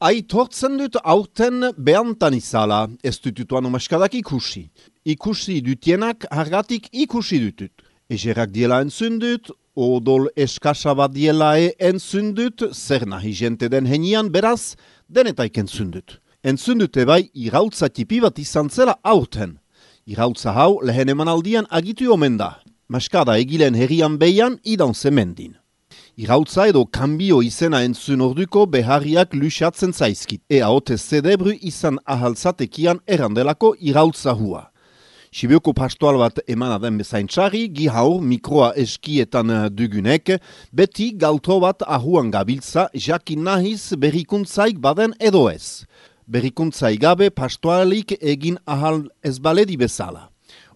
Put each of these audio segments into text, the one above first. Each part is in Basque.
Aitortzen dut aurten behantan izala, ez dutuan omaskadak ikusi. Ikusi dutienak hargatik ikusi dutut. Egerak diela entzun dut, odol eskasa bat diela entzun dut, zer nahi jente den henian beraz, denetaik entzun dut. Entzun dute bai irautza tipi bat izan zela aurten. Irautza hau lehen emanaldian agitu omen da. Maskada egilen herrian behian idan zemendin. Irautza edo kanbio izena entzun orduko beharriak lusatzen zaizkit. Ea ote zedebru izan ahaltzatekian errandelako irautza hua. Sibioko pastoal bat emana den bezaintxari, gihaur mikroa eskietan dugunek, beti galtro bat ahuan gabiltza jakin nahiz berrikuntzaik baden edo ez. Berrikuntzai gabe pastoalik egin ahal ez baledi bezala.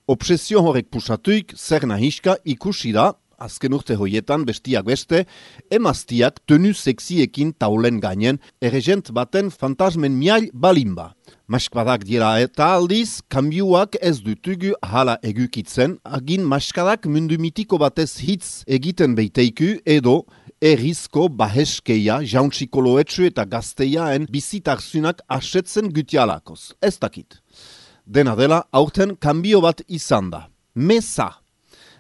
Obsesio horrek pusatuik zer nahiska ikusi da, azken urte hoietan bestiak beste, emaztiak tenu sexiekin taulen gainen, erregent baten fantasmen miail balimba. Maskadak dira eta aldiz, kanbioak ez dutugu hala egukitzen, agin maskadak mundu mitiko batez hitz egiten beiteiku edo errizko baheskeia, jauntxikoloetxu eta gazteiaen bizitarzunak asetzen gutialakoz. Ez dakit. Dena dela, aurten kanbio bat izan da. Mesa.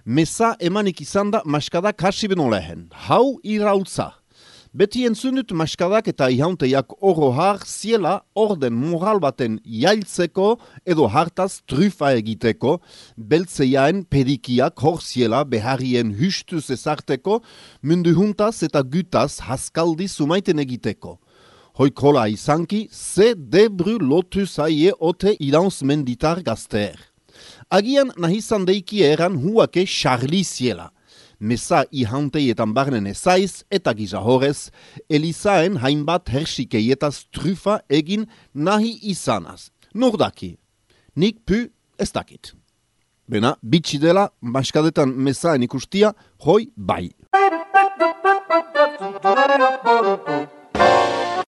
Mesa emanik izan da maskadak hasi beno lehen. Hau irautza. Beti entzunut maskadak eta ihaunteiak orohar ziela orden moral baten jailtzeko edo hartaz trufa egiteko, beltzeiaen pedikiak hor ziela beharrien hustuz ezarteko, mundu juntaz eta gutaz haskaldi sumaiten egiteko. Hoikola izanki, ze debru lotu zaie ote idaunz menditar gazteer. Agian nahizan deiki eran huake Charlie ziela. Mesa ihanteietan barnen ezaiz eta gisa horrez, Elizaen hainbat hersikeietaz trufa egin nahi izanaz. Nordaki, nik pu ez dakit. Bena, bitxi dela, maskadetan mesaen ikustia, hoi bai.